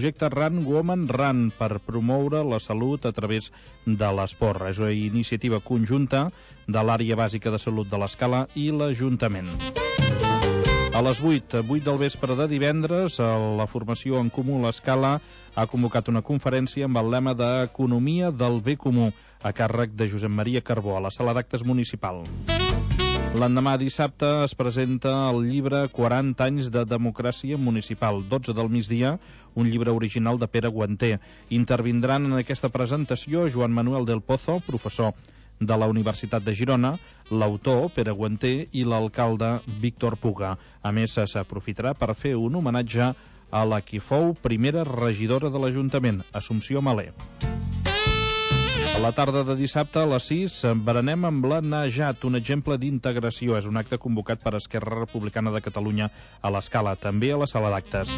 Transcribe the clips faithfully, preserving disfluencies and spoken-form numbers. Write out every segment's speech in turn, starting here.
projecte Run Women Run per promoure la salut a través de l'esport. És una iniciativa conjunta de l'Àrea Bàsica de Salut de l'Escala i l'Ajuntament. A les vuit, vuit del vespre de divendres, la formació En Comú l'Escala ha convocat una conferència amb el lema d'Economia del Bé Comú a càrrec de Josep Maria Carbó a la sala d'actes municipal. L'endemà dissabte es presenta el llibre quaranta anys de democràcia municipal, dotze del migdia, un llibre original de Pere Guanter. Intervindran en aquesta presentació Joan Manuel del Pozo, professor de la Universitat de Girona, l'autor, Pere Guanter, i l'alcalde, Víctor Puga. A més, s'aprofitarà per fer un homenatge a la qui fou primera regidora de l'Ajuntament, Assumpció Malé. A la tarda de dissabte, a les sis, berenem amb la Najat, un exemple d'integració. És un acte convocat per Esquerra Republicana de Catalunya a l'Escala, també a la sala d'actes.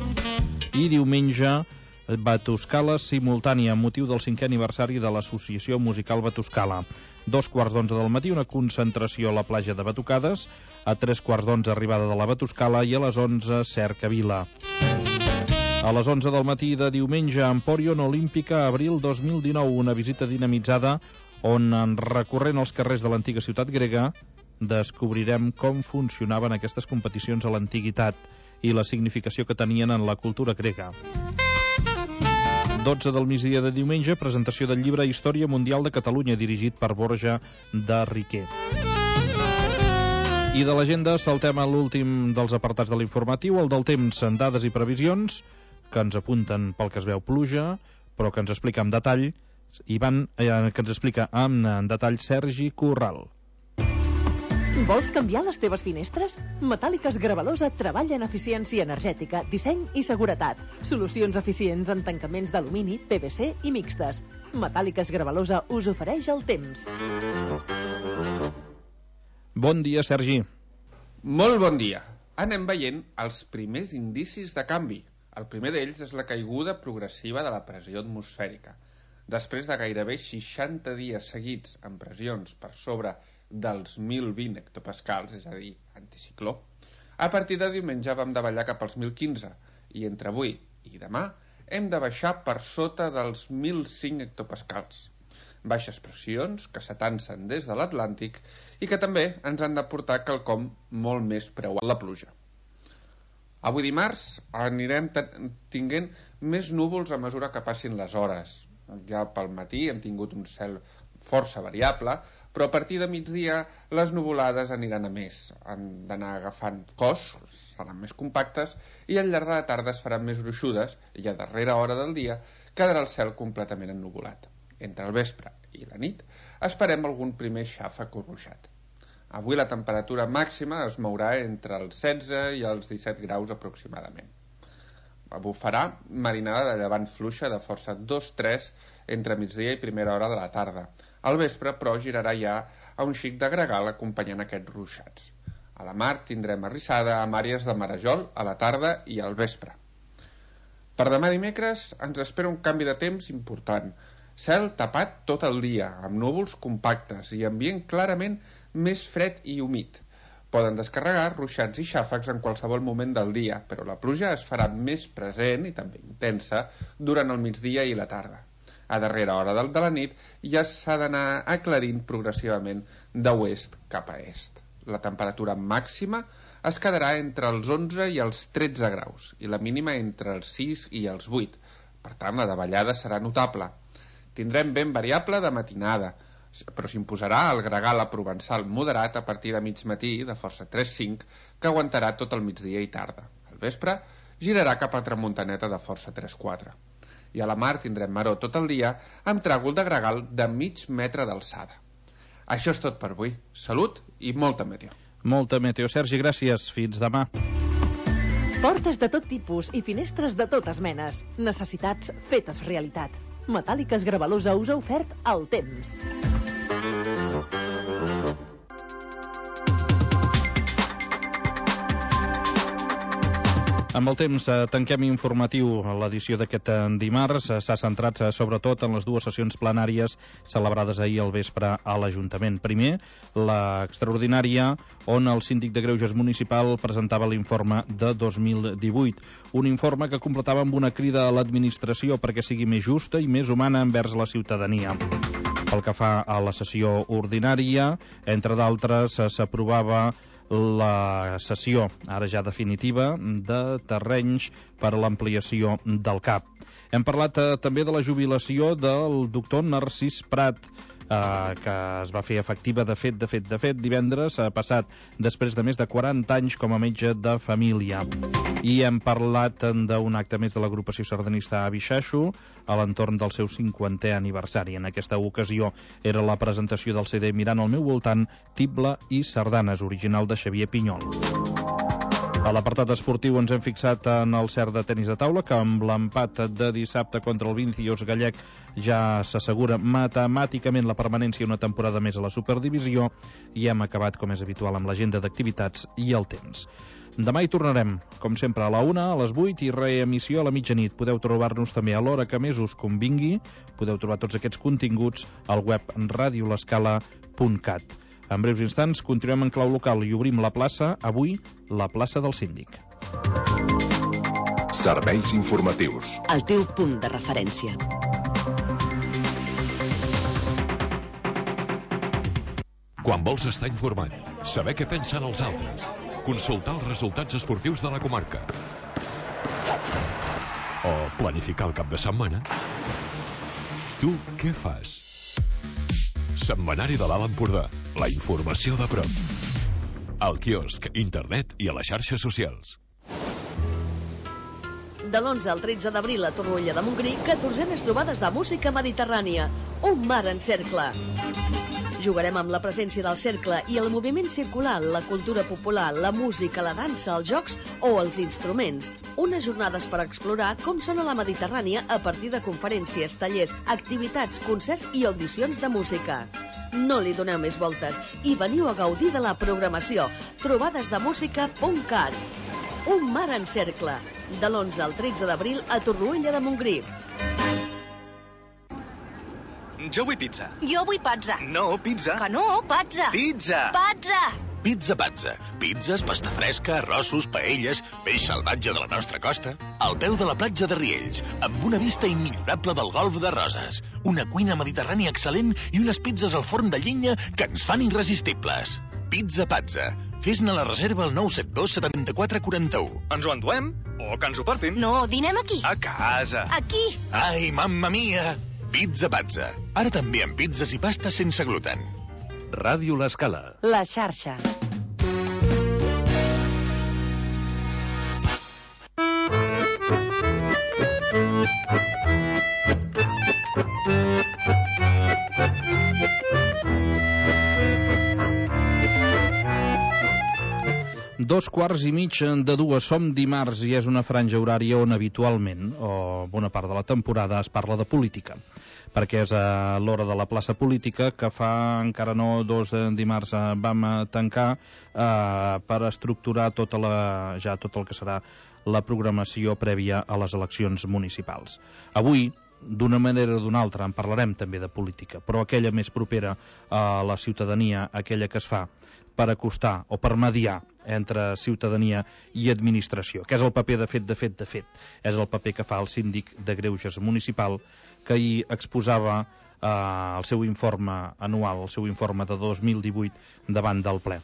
I diumenge, Batuscala simultània, amb motiu del cinquè aniversari de l'Associació Musical Batuscala. Dos quarts d'onze del matí, una concentració a la platja de Batucades, a tres quarts d'onze arribada de la Batuscala i a les onze Cercavila. A les onze del matí de diumenge, Emporion Olímpica, abril dos mil dinou, una visita dinamitzada on, recorrent els carrers de l'antiga ciutat grega, descobrirem com funcionaven aquestes competicions a l'antiguitat i la significació que tenien en la cultura grega. dotze del migdia de diumenge, presentació del llibre Història Mundial de Catalunya, dirigit per Borja de Riquer. I de l'agenda saltem a l'últim dels apartats de l'informatiu, el del temps, en dades i previsions, que ens apunten pel que es veu pluja, però que ens explica amb detall, Ivan, eh, que ens explica amb en detall Sergi Corral. Vols canviar les teves finestres? Metàl·liques Gravalosa treballa en eficiència energètica, disseny i seguretat. Solucions eficients en tancaments d'alumini, P V C i mixtes. Metàl·liques Gravalosa us ofereix el temps. Bon dia, Sergi. Molt bon dia. Anem veient els primers indicis de canvi. El primer d'ells és la caiguda progressiva de la pressió atmosfèrica. Després de gairebé seixanta dies seguits amb pressions per sobre dels mil vint hectopascals, és a dir, anticicló, a partir de diumenge vam davallar cap als mil quinze i entre avui i demà hem de baixar per sota dels mil cinc hectopascals. Baixes pressions que s'atansen des de l'Atlàntic i que també ens han de portar quelcom molt més preuat, la pluja. Avui dimarts anirem tinguent més núvols a mesura que passin les hores. Ja pel matí hem tingut un cel força variable, però a partir de migdia les nuvolades aniran a més. Han d'anar agafant cos, seran més compactes, i al llarg de la tarda es faran més gruixudes, i a darrera hora del dia quedarà el cel completament ennuvolat. Entre el vespre i la nit esperem algun primer xàfec o ruixat. Avui la temperatura màxima es mourà entre els setze i els disset graus aproximadament. Bufarà marinada de llevant fluixa de força dos tres entre migdia i primera hora de la tarda. Al vespre, però, girarà ja a un xic de gregal acompanyant aquests ruixats. A la mar tindrem arrissada amb àrees de marejol a la tarda i al vespre. Per demà dimecres ens espera un canvi de temps important. Cel tapat tot el dia, amb núvols compactes i ambient clarament més fred i humit. Poden descarregar ruixats i xàfecs en qualsevol moment del dia, però la pluja es farà més present i també intensa durant el migdia i la tarda. A darrera hora del de la nit ja s'ha d'anar aclarint progressivament d'oest cap a est. La temperatura màxima es quedarà entre els onze i els tretze graus i la mínima entre els sis i els vuit. Per tant, la davallada serà notable. Tindrem vent variable de matinada, però s'imposarà el gregal a provençal moderat a partir de mig matí de força tres cinc que aguantarà tot el migdia i tarda. Al vespre girarà cap a tramuntaneta de força tres quatre. I a la mar tindrem maror tot el dia amb tràgol de gregal de mig metre d'alçada. Això és tot per avui. Salut i molta meteo. Molta meteo, Sergi, gràcies. Fins demà. Portes de tot tipus i finestres de totes menes. Necessitats fetes realitat. Metàl·liques Gravalosa us ha ofert el temps. Amb el temps tanquem informatiu. L'edició d'aquest dimarts s'ha centrat sobretot en les dues sessions plenàries celebrades ahir al vespre a l'Ajuntament. Primer, l'extraordinària, on el síndic de Greuges municipal presentava l'informe de dos mil divuit. Un informe que completava amb una crida a l'administració perquè sigui més justa i més humana envers la ciutadania. Pel que fa a la sessió ordinària, entre d'altres, s'aprovava la cessió, ara ja definitiva, de terrenys per a l'ampliació del C A P. Hem parlat eh, també de la jubilació del doctor Narcís Prat, eh, que es va fer efectiva de fet, de fet, de fet, divendres eh, passat, després de més de quaranta anys com a metge de família. I hem parlat d'un acte més de l'agrupació sardanista Avi Xaxo a l'entorn del seu cinquantè aniversari. En aquesta ocasió era la presentació del C D Mirant al meu voltant, Tible i Sardanes, original de Xavier Pinyol. A l'apartat esportiu ens hem fixat en el cert de tenis de taula, que amb l'empat de dissabte contra el Vincios gallec ja s'assegura matemàticament la permanència una temporada més a la Superdivisió, i hem acabat, com és habitual, amb l'agenda d'activitats i el temps. Demà hi tornarem, com sempre, a la una, a les vuit i reemissió a la mitjanit. Podeu trobar-nos també a l'hora que més us convingui. Podeu trobar tots aquests continguts al web radio l'escala punt cat. En breus instants continuem en clau local i obrim la plaça, avui, la plaça del Síndic. Serveis informatius. El teu punt de referència. Quan vols estar informat, saber què pensen els altres, consultar els resultats esportius de la comarca o planificar el cap de setmana, tu què fas? Setmanari de l'Alt Empordà, la informació de prop. Al quiosc, internet i a les xarxes socials. De l'onze al tretze d'abril a Torroella de Montgrí, catorzenes trobades de música mediterrània. Un mar en cercle. Jugarem amb la presència del cercle i el moviment circular, la cultura popular, la música, la dansa, els jocs o els instruments. Unes jornades per explorar com sona la Mediterrània a partir de conferències, tallers, activitats, concerts i audicions de música. No li doneu més voltes i veniu a gaudir de la programació. trobades de música punt cat. Un mar en cercle. De l'onze al tretze d'abril a Torroella de Montgrí. Jo vull pizza. Jo vull pazza. No, pizza. Que no, pazza. Pizza. Pazza. Pizza Pazza. Pizzas, pasta fresca, arrossos, paelles, peix salvatge de la nostra costa. Al peu de la platja de Riells, amb una vista immillorable del golf de Roses. Una cuina mediterrània excel·lent i unes pizzas al forn de llenya que ens fan irresistibles. Pizza Pazza. Fes-ne la reserva al nou set dos setanta-quatre quaranta-u. Ens ho enduem? O que ens ho portin? No, dinem aquí. A casa. Aquí. Ai, mamma mia! Pizza Pazza. Ara també amb pizzas i pastes sense gluten. Ràdio L'Escala. La xarxa. Dos quarts i mig de dues. Som dimarts i és una franja horària on habitualment, o bona part de la temporada, es parla de política, perquè és a l'hora de la plaça política que fa encara no dos dimarts vam tancar eh, per estructurar tota la, ja tot el que serà la programació prèvia a les eleccions municipals. Avui, d'una manera o d'una altra, en parlarem també de política, però aquella més propera a la ciutadania, aquella que es fa per acostar o per mediar entre ciutadania i administració, que és el paper de fet, de fet, de fet. És el paper que fa el síndic de Greuges municipal, que ahir exposava eh, el seu informe anual, el seu informe de dos mil divuit davant del ple.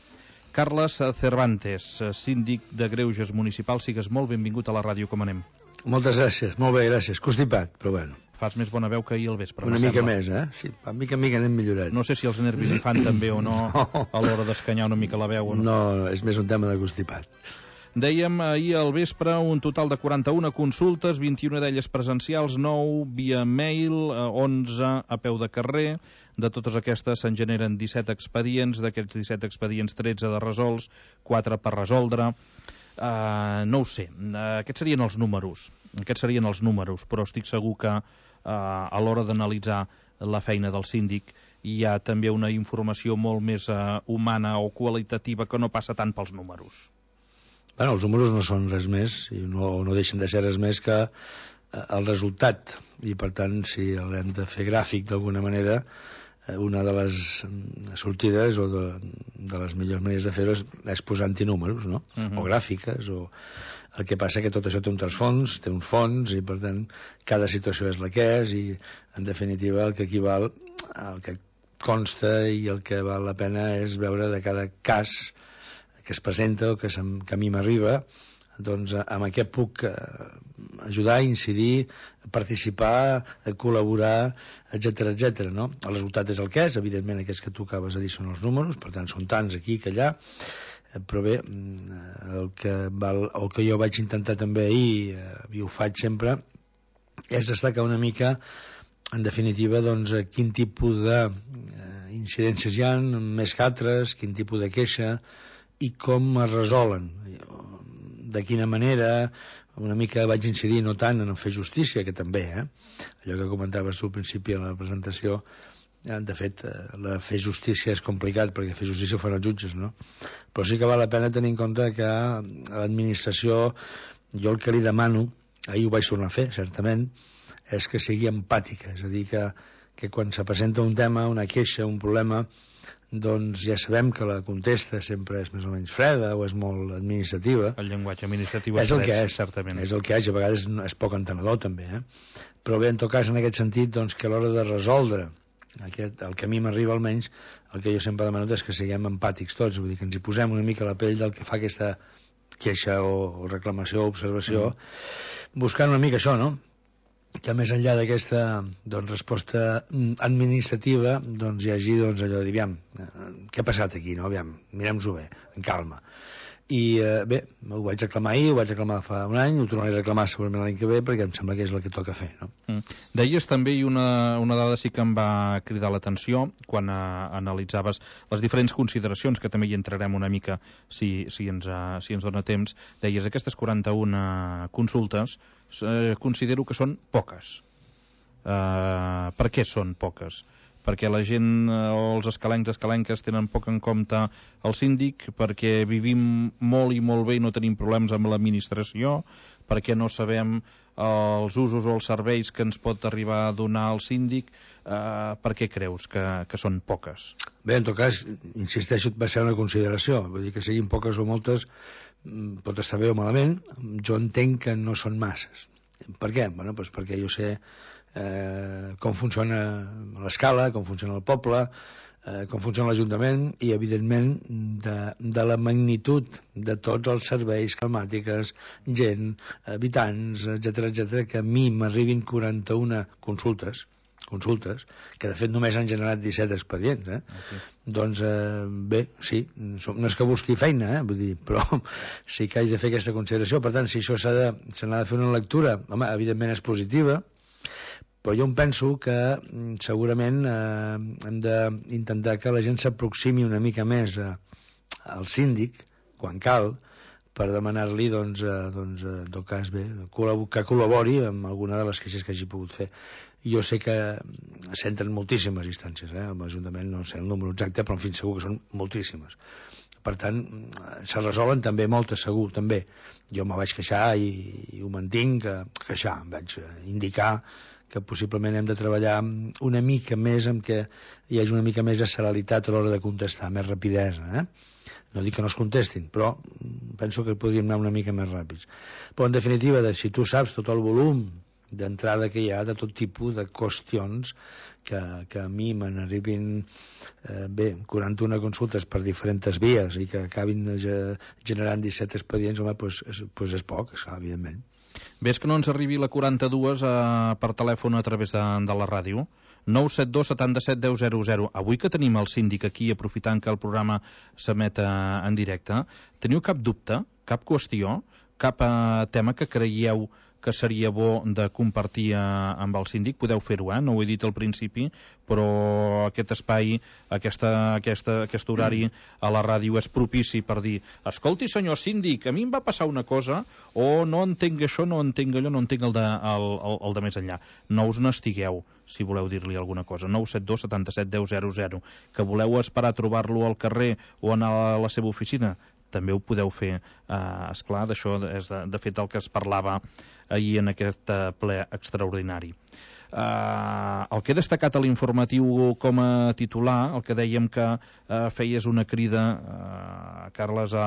Carles Cervantes, síndic de Greuges municipal, sigues molt benvingut a la ràdio, com anem? Moltes gràcies, molt bé, gràcies. Constipat, però bueno. Fas més bona veu que ahir al vespre. Una mica més, eh? Sí, a mica en mica anem millorant. No sé si els nervis hi fan també o no, no. a l'hora d'escanyar una mica la veu o no. No, és més un tema de constipat. Dèiem ahir al vespre un total de quaranta-una consultes, vint-i-una d'elles presencials, nou via mail, onze a peu de carrer. De totes aquestes se'n generen disset expedients, d'aquests disset expedients tretze de resolts, quatre per resoldre. Uh, no ho sé, uh, aquests serien els números, aquests serien els números, però estic segur que uh, a l'hora d'analitzar la feina del síndic hi ha també una informació molt més uh, humana o qualitativa que no passa tant pels números. Bueno, els números no són res més i no, no deixen de ser res més que el resultat, i per tant, si l'hem de fer gràfic d'alguna manera, una de les sortides o de, de les millors maneres de fer-ho és, és posant-hi números, no? Uh-huh. O gràfiques, o... El que passa que tot això té un trasfons, té uns fons, i per tant cada situació és la que és, i en definitiva el que equival, el que consta i el que val la pena és veure de cada cas que es presenta o que, que a mi m'arriba, doncs amb què puc ajudar, incidir, participar, col·laborar, etcètera, etcètera, no? El resultat és el que és, evidentment aquests que tu acabes de dir són els números, per tant són tants aquí que allà, però bé, el que, val, el que jo vaig intentar també ahir, i ho faig sempre, és destacar una mica, en definitiva, doncs, quin tipus d'incidències hi ha, més que altres, quin tipus de queixa, i com es resolen, de quina manera. Una mica vaig incidir no tant en fer justícia, que també, eh? Allò que comentaves tu al principi en la presentació, de fet, la fer justícia és complicat, perquè fer justícia ho fan els jutges, no? Però sí que val la pena tenir en compte que l'administració, jo el que li demano, ahir ho vaig tornar a fer, certament, és que sigui empàtica, és a dir, que, que quan se presenta un tema, una queixa, un problema, doncs ja sabem que la contesta sempre és més o menys freda o és molt administrativa. El llenguatge administratiu és el que és, certament. És el que és, a vegades és poc entenedor també, eh? Però bé, en tot cas, en aquest sentit, doncs, que a l'hora de resoldre aquest, el que a mi m'arriba almenys, el que jo sempre demano és que siguem empàtics tots, vull dir que ens hi posem una mica a la pell del que fa aquesta queixa o, o reclamació o observació, mm. buscant una mica això, no? Que més enllà d'aquesta doncs, resposta administrativa doncs, hi hagi doncs, allò de dir, aviam, què ha passat aquí, no? Aviam, mirem-s'ho bé, en calma. I eh, bé, ho vaig reclamar ahir, ho vaig reclamar fa un any, ho tornaré a reclamar segurament l'any que ve, perquè em sembla que és el que toca fer, no? Mm. Deies també, i una, una dada sí que em va cridar l'atenció, quan eh, analitzaves les diferents consideracions, que també hi entrarem una mica si, si, ens, uh, si ens dona temps, deies aquestes quaranta-una consultes, eh, considero que són poques. Eh, per què són poques? Perquè la gent o els escalencs, escalenques tenen poc en compte el síndic, perquè vivim molt i molt bé i no tenim problemes amb l'administració, perquè no sabem els usos o els serveis que ens pot arribar a donar el síndic. Eh, per què creus que, que són poques? Bé, en tot cas, insisteixo, va ser una consideració, vull dir que siguin poques o moltes pot estar bé o malament, jo entenc que no són masses. Per què? Bueno, doncs perquè jo sé Eh, com funciona l'escala, com funciona el poble, eh, com funciona l'Ajuntament i, evidentment, de, de la magnitud de tots els serveis, climàtiques, gent, habitants, etcètera, etcètera, que a mi m'arribin quaranta-una consultes, consultes, que de fet només han generat disset expedients, eh? Okay. Doncs, eh, bé, sí, no és que busqui feina, eh? Vull dir, però sí que haig de fer aquesta consideració. Per tant, si això s'ha de, se n'ha de fer una lectura, home, evidentment és positiva, però jo em penso que segurament eh, hem d'intentar que la gent s'aproximi una mica més a, al síndic, quan cal, per demanar-li, doncs, eh, doncs, en tot cas, bé, que col·labori amb alguna de les queixes que hagi pogut fer. Jo sé que s'entren moltíssimes instàncies, eh? Amb l'Ajuntament no sé el número exacte, però en fi, segur que són moltíssimes. Per tant, se resolen també moltes, segur, també. Jo me vaig queixar i, i ho mantinc, que, queixar, em vaig indicar que possiblement hem de treballar una mica més amb que hi hagi una mica més de celeritat a l'hora de contestar, més rapidesa, eh? No dic que no es contestin, però penso que podríem anar una mica més ràpids. Però, en definitiva, si tu saps tot el volum d'entrada que hi ha de tot tipus de qüestions que, que a mi me n'arribin eh, bé, quaranta-una consultes per diferents vies i que acabin generant disset expedients, home, doncs, és, doncs és poc, és, evidentment. Ves que no ens arribi la quaranta-dues eh, per telèfon a través de, de la ràdio? nou set dos setanta-set deu zero zero. Avui que tenim el síndic aquí, aprofitant que el programa s'emet en directe, teniu cap dubte, cap qüestió, cap eh, tema que creieu que seria bo de compartir eh, amb el síndic? Podeu fer-ho, eh? No ho he dit al principi, però aquest espai, aquesta, aquesta, aquest horari a la ràdio és propici per dir, escolti, senyor síndic, a mi em va passar una cosa, o no entenc això, no entenc allò, no entenc el de, el, el, el de més enllà. No us n'estigueu, si voleu dir-li alguna cosa. nou set dos setanta-set deu zero zero. Que voleu esperar a trobar-lo al carrer o anar a la seva oficina? també ho podeu fer. Uh, esclar, d'això és de, de fet el que es parlava ahir en aquest uh, ple extraordinari. Uh, el que he destacat a l'informatiu com a titular, el que dèiem que uh, feies una crida, uh, Carles, a,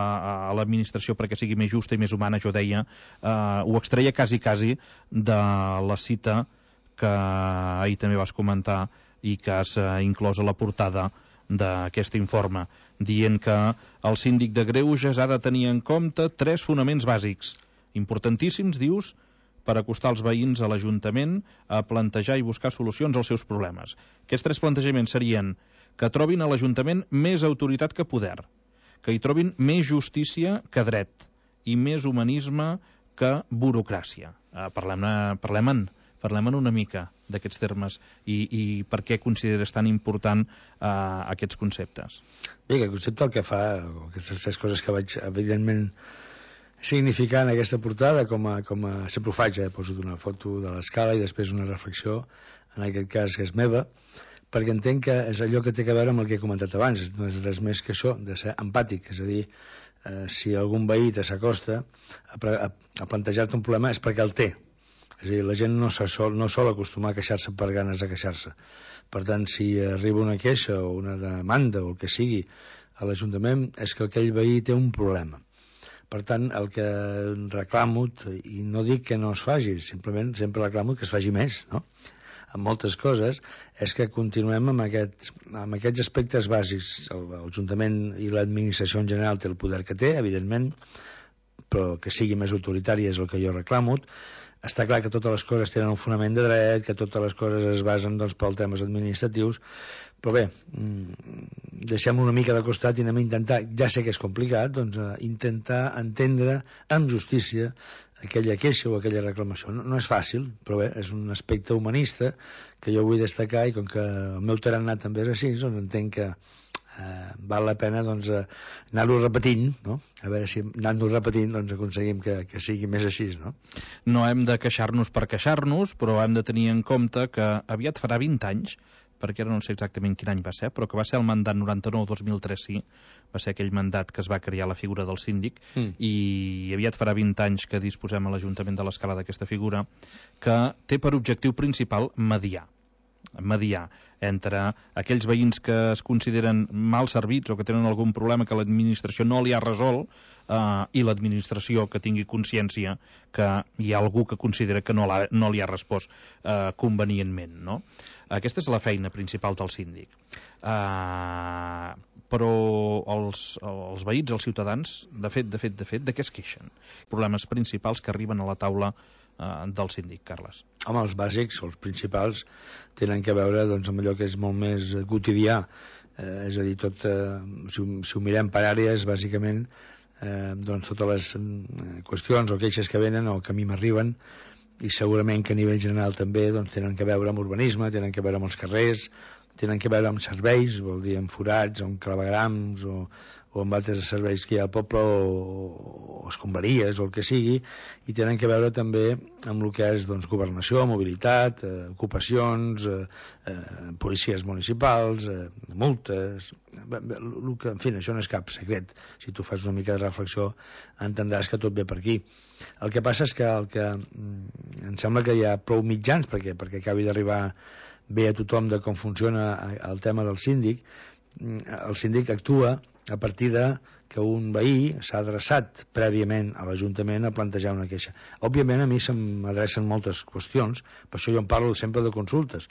a l'administració perquè sigui més justa i més humana, jo deia, uh, ho extreia quasi, quasi de la cita que ahir també vas comentar i que has uh, inclòs a la portada d'aquest informe, dient que el síndic de Greuges ha de tenir en compte tres fonaments bàsics, importantíssims, dius, per acostar els veïns a l'Ajuntament a plantejar i buscar solucions als seus problemes. Aquests tres plantejaments serien que trobin a l'Ajuntament més autoritat que poder, que hi trobin més justícia que dret i més humanisme que burocràcia. Uh, parlem-ne, parlem-en, parlem-en una mica d'aquests termes i, i per què consideres tan important uh, aquests conceptes. Bé, el concepte el que fa, aquestes tres coses que vaig, evidentment, significar en aquesta portada, com a, com a sempre ho faig, eh? Poso una foto de l'escala i després una reflexió, en aquest cas que és meva, perquè entenc que és allò que té a veure amb el que he comentat abans, no és res més que això, de ser empàtic, és a dir, eh, si algun veí te s'acosta a, a, a plantejar-te un problema és perquè el té. És a dir, la gent no, sol, no sol acostumar a queixar-se per ganes de queixar-se. Per tant, si arriba una queixa o una demanda o el que sigui a l'Ajuntament, és que aquell veí té un problema. Per tant, el que reclamo, i no dic que no es faci, simplement sempre reclamo que es faci més, no? En moltes coses, és que continuem amb, aquest, amb aquests aspectes bàsics. L'Ajuntament i l'administració en general té el poder que té, evidentment, però que sigui més autoritari és el que jo reclamo. Està clar que totes les coses tenen un fonament de dret, que totes les coses es basen doncs, per temes administratius, però bé, deixem una mica de costat i anem a intentar, ja sé que és complicat, doncs intentar entendre amb justícia aquella queixa o aquella reclamació. No, no és fàcil, però bé, és un aspecte humanista que jo vull destacar i com que el meu tarannà també és així, doncs entenc que eh, val la pena doncs, anar-ho repetint, no? A veure si anant-ho repetint doncs, aconseguim que, que sigui més així, no? No hem de queixar-nos per queixar-nos, però hem de tenir en compte que aviat farà vint anys, perquè ara no sé exactament quin any va ser, però que va ser el mandat noranta-nou dos mil tres, sí, va ser aquell mandat que es va crear la figura del síndic, mm. i aviat farà vint anys que disposem a l'Ajuntament de l'Escala d'aquesta figura, que té per objectiu principal mediar. mediar entre aquells veïns que es consideren mal servits o que tenen algun problema que l'administració no li ha resolt eh, i l'administració que tingui consciència que hi ha algú que considera que no, no li ha respost eh, convenientment, no? Aquesta és la feina principal del síndic. Uh, però els, els veïns, els ciutadans, de fet, de fet, de fet, de què es queixen? Problemes principals que arriben a la taula uh, del síndic, Carles. Home, els bàsics, els principals, tenen que veure doncs, amb allò que és molt més quotidià. Eh, és a dir, tot, eh, si, si ho mirem per àrees, bàsicament, eh, doncs totes les eh, qüestions o queixes que venen o que a mi m'arriben, i segurament que a nivell general també doncs, tenen que veure amb urbanisme, tenen que veure amb els carrers, tenen que veure amb serveis, vol dir amb forats, amb clavegrams o, o amb altres serveis que hi ha al poble o, o escombraries o el que sigui, i tenen que veure també amb el que és doncs, governació, mobilitat, eh, ocupacions, eh, eh, policies municipals, eh, multes, el que, en fi, això no és cap secret. Si tu fas una mica de reflexió entendràs que tot ve per aquí. El que passa és que, el que em sembla que hi ha prou mitjans perquè, perquè acabi d'arribar bé a tothom de com funciona el tema del síndic. El síndic actua a partir de que un veí s'ha adreçat prèviament a l'Ajuntament a plantejar una queixa. Òbviament a mi se m'adrecen moltes qüestions, per això jo en parlo sempre de consultes.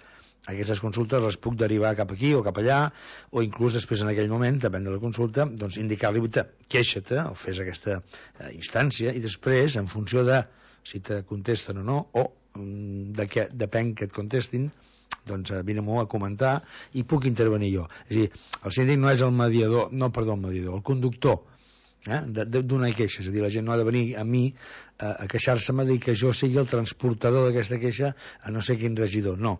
Aquestes consultes les puc derivar cap aquí o cap allà, o inclús després en aquell moment, depèn de la consulta, doncs indicar-li, queixa-te o fes aquesta eh, instància, i després, en funció de si te contesten o no, o de què depèn que et contestin, doncs vine-m'ho a comentar i puc intervenir jo. És a dir, el síndic no és el mediador, no, perdó, el mediador, el conductor eh, d'una queixa. És a dir, la gent no ha de venir a mi a, a queixar-se-me de que jo sigui el transportador d'aquesta queixa a no sé quin regidor. No.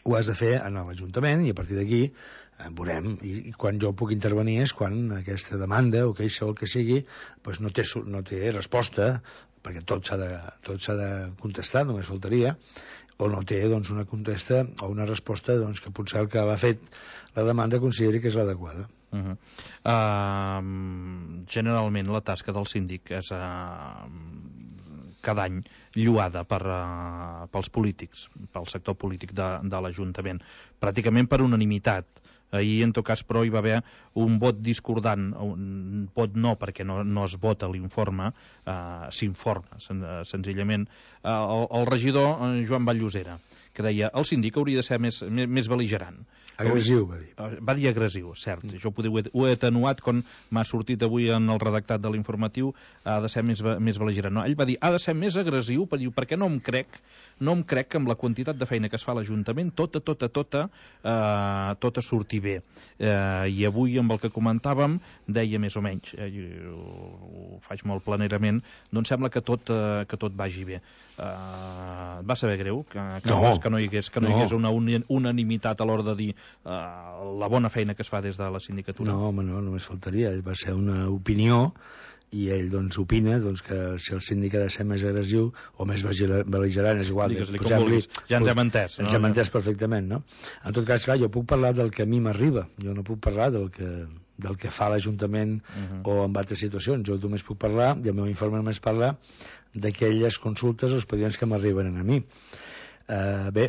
Ho has de fer en l'Ajuntament i a partir d'aquí eh, veurem. I, I quan jo puc intervenir és quan aquesta demanda o queixa o el que sigui doncs no, té, no té resposta, perquè tot s'ha de, tot s'ha de contestar, només faltaria, o no té doncs, una contesta o una resposta doncs, que potser el que va fet la demanda consideri que és l'adequada. Uh -huh. uh, generalment la tasca del síndic és uh, cada any lluada per, uh, pels polítics, pel sector polític de, de l'Ajuntament, pràcticament per unanimitat. Ahir, en tot cas, però, hi va haver un vot discordant, un vot no, perquè no, no es vota l'informe, uh, s'informa, sen senzillament. Uh, el, el regidor Joan Vall-Llosera, que deia el síndic hauria de ser més, més, més bel·ligerant. Agressiu, va dir. Va dir agressiu, cert. Mm. Jo ho he, ho he atenuat quan m'ha sortit avui en el redactat de l'informatiu, ha de ser més, més bel·ligerant. No, ell va dir, ha de ser més agressiu, per dir, perquè no em crec, no em crec que amb la quantitat de feina que es fa a l'Ajuntament, tota, tota, tota, eh, tota surti bé. Eh, I avui, amb el que comentàvem, deia més o menys, eh, ho, ho faig molt planerament, doncs sembla que tot, eh, que tot vagi bé. Eh, va saber greu que, que, no. que no hi hagués, que no hi hagués una unanimitat a l'hora de dir Uh, la bona feina que es fa des de la sindicatura. No, home, no, només faltaria. Va ser una opinió i ell doncs opina doncs, que si el síndic ha de ser més agressiu o més bel·ligerant, és igual. Digues-li com vulguis, ja ens hem entès. Ens hem entès perfectament, no? En tot cas, clar, jo puc parlar del que a mi m'arriba, jo no puc parlar del que, del que fa l'Ajuntament uh -huh. o en altres situacions. Jo només puc parlar, i el meu informe només parla d'aquelles consultes o expedients que m'arriben a mi. Uh, bé,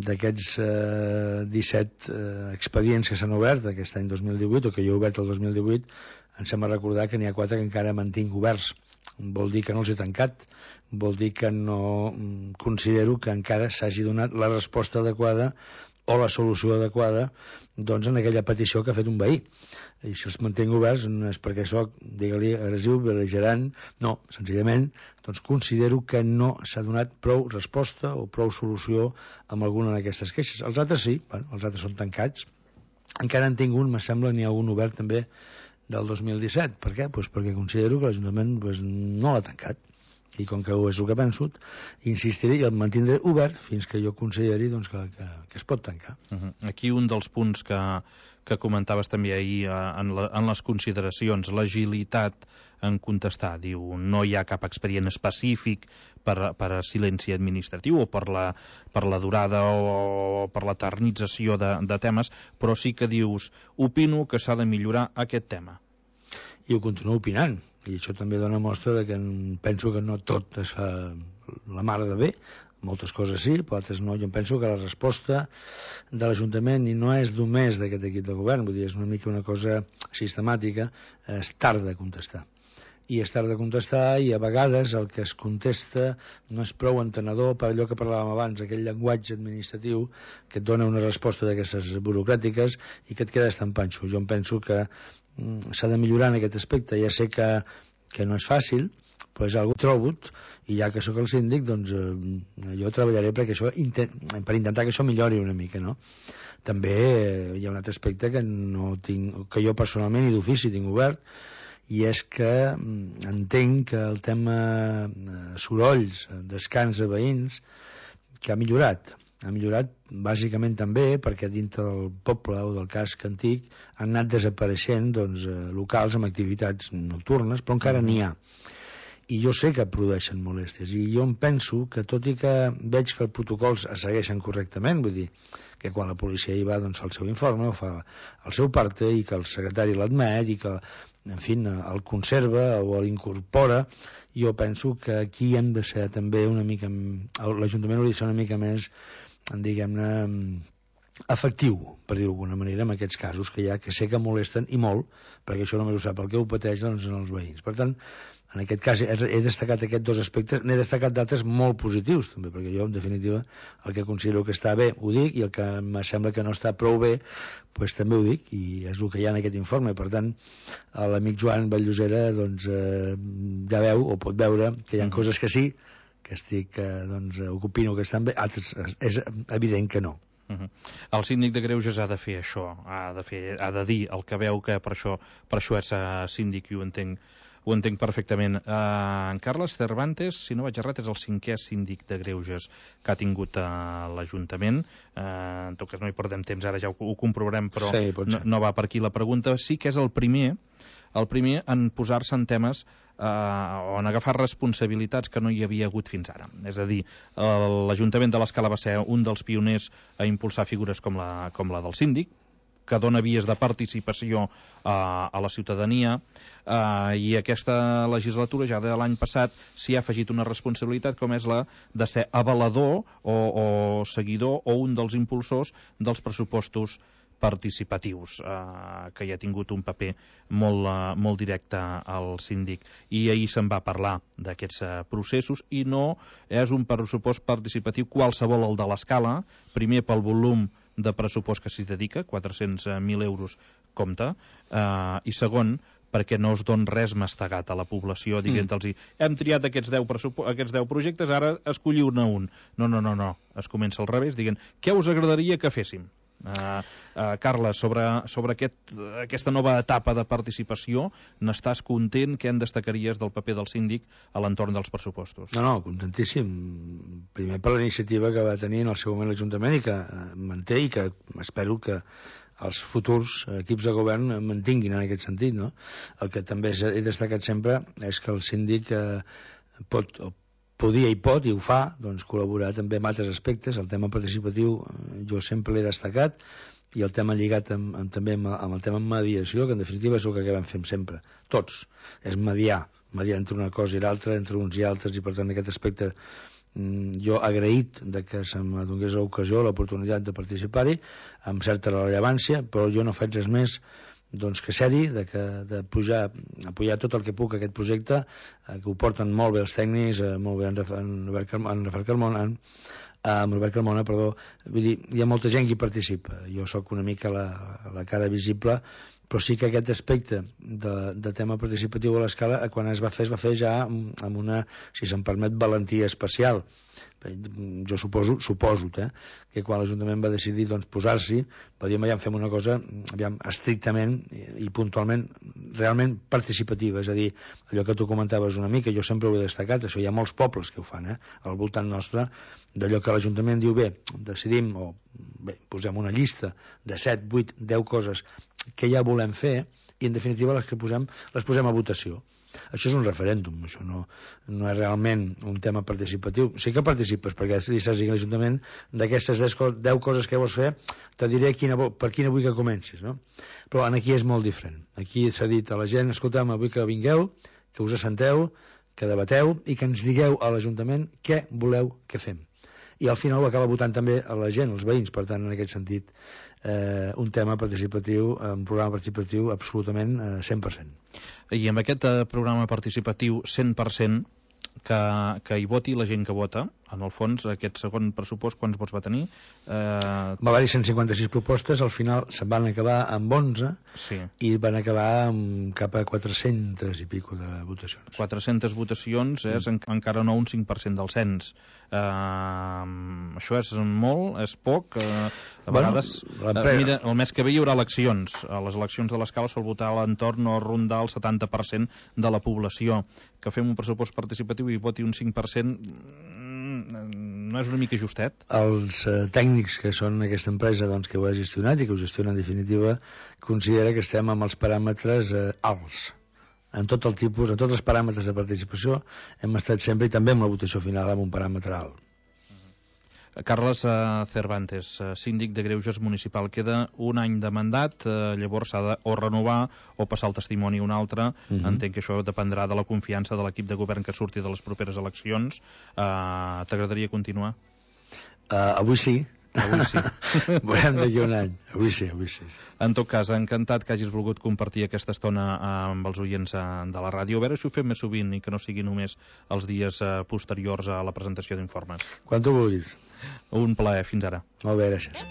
d'aquests uh, disset uh, expedients que s'han obert aquest any dos mil divuit, o que jo he obert el dos mil divuit, em sembla recordar que n'hi ha quatre que encara mantinc oberts. Vol dir que no els he tancat, vol dir que no considero que encara s'hagi donat la resposta adequada o la solució adequada doncs, en aquella petició que ha fet un veí. I si els mantenc oberts no és perquè soc, digue-li, agressiu, bel·ligerant, no, senzillament doncs considero que no s'ha donat prou resposta o prou solució amb alguna d'aquestes queixes. Els altres sí, bueno, els altres són tancats. Encara en tinc un, me sembla, n'hi ha un obert també del dos mil disset. Per què? Pues perquè considero que l'Ajuntament pues, no l'ha tancat. I com que és el que penso, insistiré i el mantindré obert fins que jo consideri doncs, que, que, que es pot tancar. Uh -huh. Aquí un dels punts que, que comentaves també ahir eh, en, la, en les consideracions, l'agilitat en contestar. Diu, no hi ha cap expedient específic per, per a silenci administratiu o per la, per la durada o, o per l'eternització de, de temes, però sí que dius, opino que s'ha de millorar aquest tema. I ho continuo opinant. I això també dona mostra de que penso que no tot es fa la mare de bé, moltes coses sí, però altres no. Jo penso que la resposta de l'Ajuntament, i no és només d'aquest equip de govern, vull dir, és una mica una cosa sistemàtica, és tard de contestar. I és tard de contestar i a vegades el que es contesta no és prou entenedor per allò que parlàvem abans, aquell llenguatge administratiu que et dona una resposta d'aquestes burocràtiques i que et quedes tan panxo. Jo em penso que s'ha de millorar en aquest aspecte. Ja sé que, que no és fàcil, però és algo trobut, i ja que sóc el síndic, doncs eh, jo treballaré perquè això, per intentar que això millori una mica, no? També eh, hi ha un altre aspecte que, no tinc, que jo personalment i d'ofici tinc obert, i és que entenc que el tema eh, sorolls, descans de veïns, que ha millorat, ha millorat bàsicament també perquè dintre del poble o del casc antic han anat desapareixent doncs, locals amb activitats nocturnes, però encara n'hi ha. I jo sé que produeixen molèsties, i jo em penso que tot i que veig que els protocols es segueixen correctament, vull dir que quan la policia hi va doncs, fa el seu informe o fa el seu parte i que el secretari l'admet i que, en fi, el conserva o l'incorpora, jo penso que aquí hem de ser també una mica, l'Ajuntament hauria de ser una mica més, diguem-ne, efectiu, per dir-ho d'alguna manera, en aquests casos que hi ha, que sé que molesten i molt, perquè això només ho sap el que ho pateix doncs, en els veïns. Per tant, en aquest cas he destacat aquests dos aspectes, n'he destacat d'altres molt positius també, perquè jo en definitiva el que considero que està bé ho dic, i el que em sembla que no està prou bé pues, també ho dic, i és el que hi ha en aquest informe. Per tant, l'amic Joan Vall-Llosera doncs, eh, ja veu o pot veure que hi ha coses que sí, que estic, eh, doncs, opino que estan bé, altres és evident que no. Uh -huh. El síndic de Greuges ha de fer això, ha de, fer, ha de dir el que veu, que per això, per això és uh, síndic, i ho entenc, ho entenc perfectament. Uh, en Carles Cervantes, si no vaig errat, és el cinquè síndic de Greuges que ha tingut uh, l'Ajuntament. Uh, en tot cas no hi perdem temps, ara ja ho, ho comprovarem, però sí, no, no va per aquí la pregunta. Sí que és el primer, el primer en posar-se en temes eh, o en agafar responsabilitats que no hi havia hagut fins ara. És a dir, l'Ajuntament de l'Escala va ser un dels pioners a impulsar figures com la, com la del síndic, que dona vies de participació a, a la ciutadania, eh, i aquesta legislatura, ja de l'any passat, s'hi ha afegit una responsabilitat com és la de ser avalador o, o seguidor o un dels impulsors dels pressupostos participatius, eh, que hi ha tingut un paper molt, eh, molt directe al síndic. I ahir se'n va parlar d'aquests eh, processos, i no és un pressupost participatiu qualsevol el de l'Escala, primer pel volum de pressupost que s'hi dedica, quatre-cents mil euros compte, eh, i segon, perquè no es don res mastegat a la població, dient-los, mm. hem triat aquests deu, aquests deu projectes, ara escolliu-ne un. No, no, no, no, es comença al revés, dient, què us agradaria que féssim? Uh, uh, Carles, sobre, sobre aquest, aquesta nova etapa de participació, n'estàs content? Què en destacaries del paper del síndic a l'entorn dels pressupostos? No, no, contentíssim. Primer per la iniciativa que va tenir en el seu moment l'Ajuntament i que manté, i que espero que els futurs equips de govern mantinguin en aquest sentit, no? El que també he destacat sempre és que el síndic eh, pot, podia i pot, i ho fa, doncs, col·laborar també en altres aspectes. El tema participatiu jo sempre l'he destacat, i el tema lligat amb, amb, també amb, amb el tema mediació, que en definitiva és el que acabem fent sempre, tots, és mediar, mediar entre una cosa i l'altra, entre uns i altres, i per tant en aquest aspecte jo agraït de que se m'adonés l'ocasió, l'oportunitat de participar-hi, amb certa rellevància, però jo no faig res més doncs que ser-hi, de, que, de pujar, apoyar tot el que puc aquest projecte, eh, que ho porten molt bé els tècnics, eh, molt bé en, en, en, en Rafael Carmona, en, amb Albert Carmona, perdó. Vull dir, hi ha molta gent que hi participa. Jo sóc una mica la, la cara visible, però sí que aquest aspecte de, de tema participatiu a l'Escala, quan es va fer, es va fer ja amb una, si se'm permet, valentia especial. Jo suposo, suposo eh, que quan l'Ajuntament va decidir doncs, posar-s'hi, va dir, aviam, fem una cosa aviam, estrictament i, i puntualment realment participativa, és a dir, allò que tu comentaves una mica, jo sempre ho he destacat, això hi ha molts pobles que ho fan, eh, al voltant nostre, d'allò que l'Ajuntament diu, bé, decidim, o bé, posem una llista de set, vuit, deu coses que ja volem fer, i en definitiva les que posem, les posem a votació. Això és un referèndum, això no, no és realment un tema participatiu. Sí que participes, perquè si saps que l'Ajuntament d'aquestes deu coses que vols fer, te diré quina, per quina vull que comencis, no? Però aquí és molt diferent. Aquí s'ha dit a la gent, escolta'm, vull que vingueu, que us assenteu, que debateu i que ens digueu a l'Ajuntament què voleu que fem. I al final ho acaba votant també a la gent, els veïns, per tant, en aquest sentit, eh, un tema participatiu, un programa participatiu absolutament eh, cent per cent. I amb aquest eh, programa participatiu cent per cent, que, que hi voti la gent que vota, en el fons, aquest segon pressupost, quants vots va tenir? Eh... Va haver-hi cent cinquanta-sis propostes, al final se'n van acabar amb onze, sí. I van acabar amb cap a quatre-centes i pico de votacions. quatre-centes votacions és mm. en, encara no un cinc per cent del cens. Eh, això és molt, és poc, eh, a bueno, vegades... Eh, mira, el mes que ve hi haurà eleccions. A les eleccions de l'Escala sol votar a l'entorn o rondar el setanta per cent de la població. Que fem un pressupost participatiu i voti un cinc per cent... no és una mica justet? Els eh, tècnics que són aquesta empresa doncs, que ho ha gestionat i que ho gestiona en definitiva considera que estem amb els paràmetres eh, alts en tot el tipus, en tots els paràmetres de participació hem estat sempre, i també amb la votació final, amb un paràmetre alt. Carles uh, Cervantes, uh, síndic de Greuges municipal, queda un any de mandat, uh, llavors s'ha de o renovar o passar el testimoni a un altre. Uh-huh. Entenc que això dependrà de la confiança de l'equip de govern que surti de les properes eleccions. Uh, T'agradaria continuar? Uh, avui sí. Avui sí. Veurem d'aquí un any. Avui sí, avui sí. En tot cas, encantat que hagis volgut compartir aquesta estona amb els oients de la ràdio. A veure si ho fem més sovint i que no sigui només els dies posteriors a la presentació d'informes. Quan tu vulguis. Un plaer, fins ara. Molt bé, gràcies.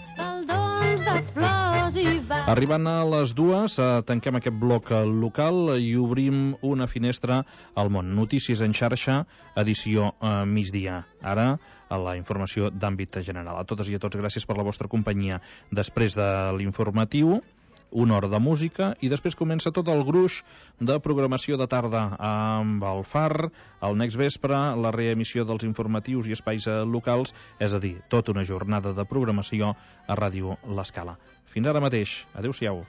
Arribant a les dues, tanquem aquest bloc local i obrim una finestra al món. Notícies en xarxa, edició eh, migdia. Ara, a la informació d'àmbit general. A totes i a tots, gràcies per la vostra companyia. Després de l'informatiu, una hora de música i després comença tot el gruix de programació de tarda amb el Far, el Next Vespre, la reemissió dels informatius i espais locals, és a dir, tota una jornada de programació a Ràdio L'Escala. Fins ara mateix. Adéu-siau.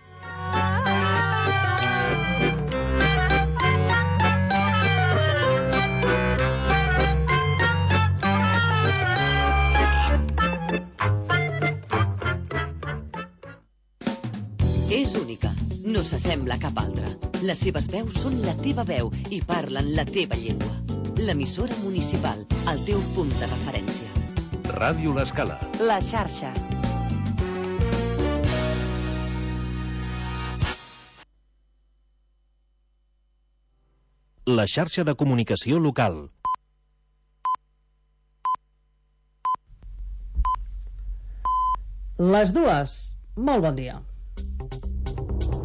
no s'assembla a cap altra. Les seves veus són la teva veu i parlen la teva llengua. L'emissora municipal, el teu punt de referència. Ràdio L'Escala. La xarxa. La xarxa de comunicació local. Les dues. Molt bon dia.